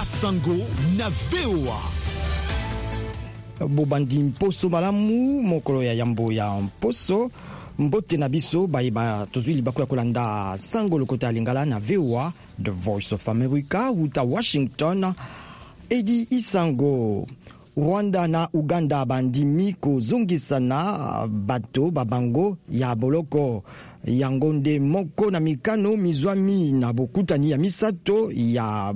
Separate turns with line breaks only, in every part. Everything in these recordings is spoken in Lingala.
Basango na VOA.
Bobandi mposo malamu, mokolo ya yambo ya mposo. Mbote na biso bayeba tozwi libaku ya kolanda sango lokota ya Lingala na VOA, The Voice of America, wuta Washington. Edi Isango. Rwanda na Uganda bandimi kozongisana bato ba bango ya boloko. Yango nde moko na mikano mizwami na bokutani ya misato ya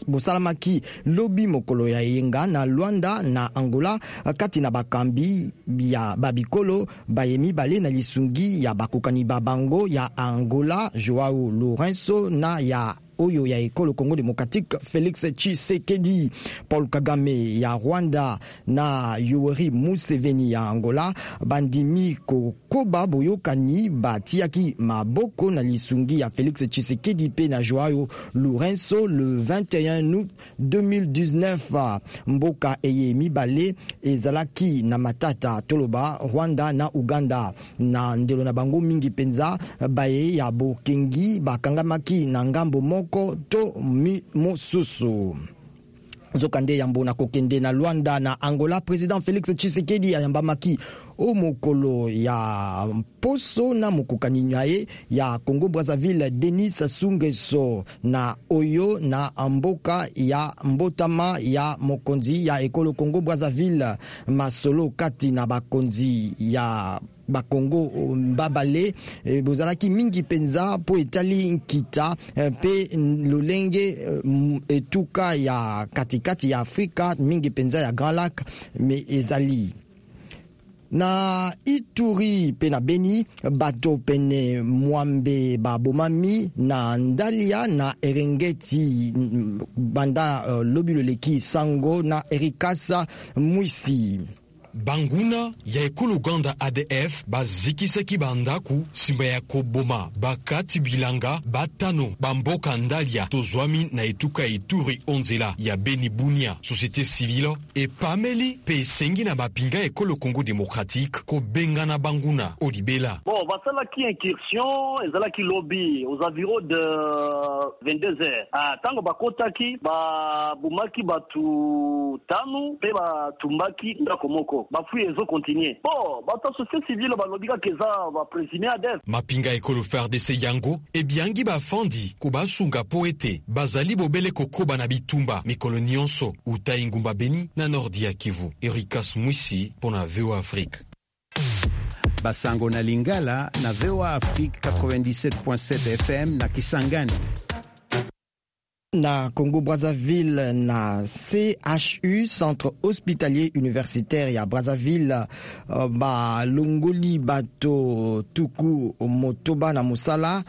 bosalamaki lobi mokolo ya eyenga na Luanda na Angola kati na bakambi ya babikolo baye mibale na lisungi ya bakokani ba bango ya Angola Joao Lourenço na ya oyo ya ekolo Congo démocratique Félix Tshisekedi. Paul Kagame ya Rwanda na Yoweri Museveni ya Angola bandimi kokoba boyokani batiaki maboko na lisungi ya Félix Tshisekedi pe na Joao Lourenço le 21 août 2019. Mboka eye mibale ezalaki na matata, toloba Rwanda na Uganda, na ndelo na bango mingi mpenza baye ya bokengi bakangamaki na ngambo moko to mosusu. Nzokande yambo na kokende na Luanda na Angola, président Félix Tshisekedi ayambamaki o mokolo ya mposo na mokokani na ye ya Congo Brazzaville Denis Sassou Nguesso na oyo na mboka ya mbotama ya mokonzi ya ekolo Congo Brazzaville. Masolo kati na bakonzi ya bakongo mbabale bozalaki mingi mpenza mpo etali nkita mpe lolenge etuka ya katikati ya Afrika, mingi mpenza ya Grand Lac me ezali. Na Ituri mpe na Beni, bato pene 80 babomami na Ndalia na Eringeti banda lobi loleki. Sango na Erikasa Mwisi.
Banguna ya ekolo Uganda ADF bazikisaki bandako nsima ya koboma bakati bilanga batano bamboka Ndalia, tozwami na etuka ya Ituri, onzela ya Beni Bunia. Société civile epameli mpe esengi na bapinga ekolo Congo démocratique kobengana banguna olibela.
Bon, basalaki incursion, ezalaki lobi aux environs de 22 heures. Ah, ntango bakotaki, babomaki bato tano mpe batumbaki ndako moko. Bafouilles ezocontinuer. Bon, bato ya société civile balobi kaka eza baprésumé ADF.
Mapinga ekolo FARDC yango ebiangi bafandi kobasunga mpo ete bazali bobele kokoba na bitumba mikolo nyonso. Uta engumba Beni na nordi ya Kivu, Erikas Mwisi mpo na VOA Afrique.
Basango na Lingala na VOA Afrique 97.7 FM na Kisangani.
Na Congo Brazzaville, na CHU, Centre Hospitalier Universitaire ya Brazzaville, balongoli bato 60 na mosala.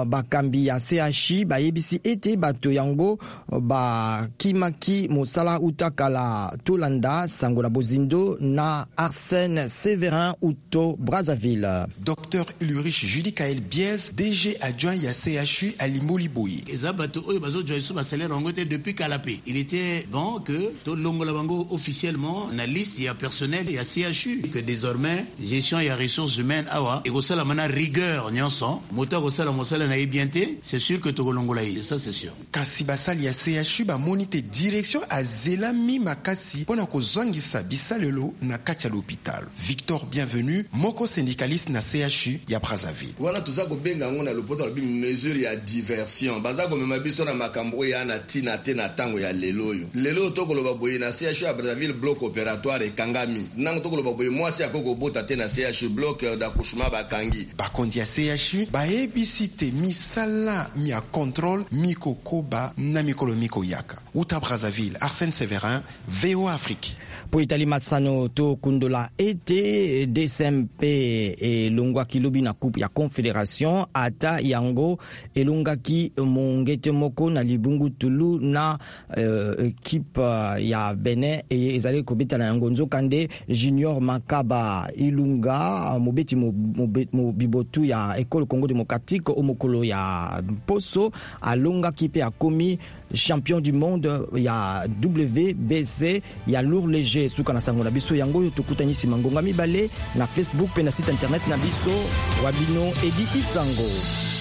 Bakambi ya CHU bayebisi ete bato yango bakimaki mosala uta kala. Tolanda sango na bozindo na Arsène Séverin uto Brazzaville.
Dr Ulrich Judicaël Biez, DG adjoint ya CHU, alimboli boye.
Eza bato oyo bazozwa lisusu basalaire yango te depuis kala mpe il était bon que tolongola bango officiellement na liste ya personnel ya CHU, que désormais gestion ya ressources humaines awa ekosalama na rigueur nyonso. Moto akosala mosala na ye bien te, c'est sûr que tokolongola ye, ça c'est sûr.
Kasi basali ya CHU bamoni te direction azelami makasi mpo na kozongisa bisalelo na kati ya l'hôpital. Victor Bienvenu, moko syndicaliste na CHU ya Brazzaville.
Wana toza kobenga yango na lopoto alobi mesure ya diversion. Baza komema biso na makambo oyo ya na ntina te na ntango ya lelo oyo. Lelo oyo tokoloba boye, na CHU ya Brazzaville bloc opératoire ekangami. Ntango tokoloba boye, mwasi akoki kobota te na CHU, bloc d'accouchement bakangi.
Bakonzi ya CHU bayebisi te misala mia contrôle mikokoba na mikolo mikoyaka. Uta Brazzaville, Arsène Séverin, VOA Afrique.
Po etali masano, tokundola ete DCMP elongwaki lobi na Coupe ya Confédération, ata yango elongaki mongete moko na libungu tulu na équipe ya Benin eye ezali kobeta na yango. Nzokande Junior Makaba Ilunga, mobeti mobibotu ya ekole Congo démocratique, o mokolo ya mposo alongaki mpe akomi champion du monde ya WBC ya lourd léger. Suka na sango na biso yango oyo. Tokutani nsima ngonga 2 na Facebook mpe na site internet na biso. Wa bino Edi Isango.